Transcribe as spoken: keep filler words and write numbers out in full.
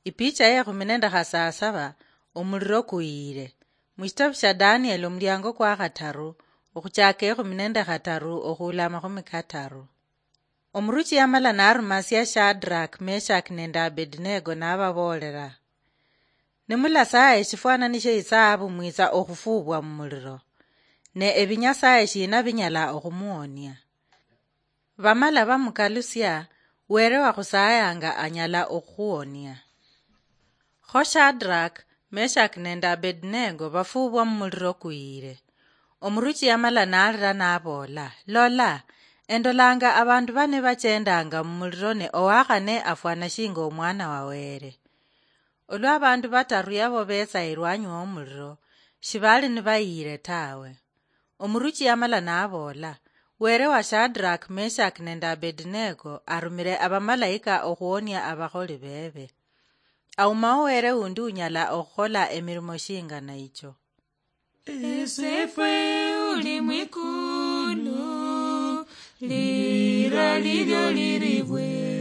Ipicha ye khumi nende khasasaba, omuliro kuyire. Mushitabu sha Daniel, omuliango kwa khataru, okhuchaka ekhumi nende khataru okhuula amakhumi kataru. Omuruchi yamala narumasia Shadrach, Meshach nende Abednego, nababoolera, "Nimulasaya eshifwanani she isaabu, mwitsa okhufuubwa mumuliro. Ne ebinyasaye shina binyala okhumuonia?" Bamala bamukalusia, "Were wakhusayanga anyala okhuonia." Kho Shadrach, Meshach nende Abednego bafuubwa mumuliro kuyire. Omuruchi yamala nalira naboola, "Lola, endolanga abandu bane bachendanga mumuliro, ne owakhane afwana shinga omwana wa Were." Olwa abandu bataru yabo betsa elwanyi womuliro, shibali nibayire tawe. Omuruchi yamala naboola, "Were wa Shadrach, Meshach nende Abednego arumire abamalaika okhuonia abakholi bebe. Aumawo Were undi unyala okhukhola emirimo shingana icho." Esefwe uli mwikulu, lira lilyo liribwe.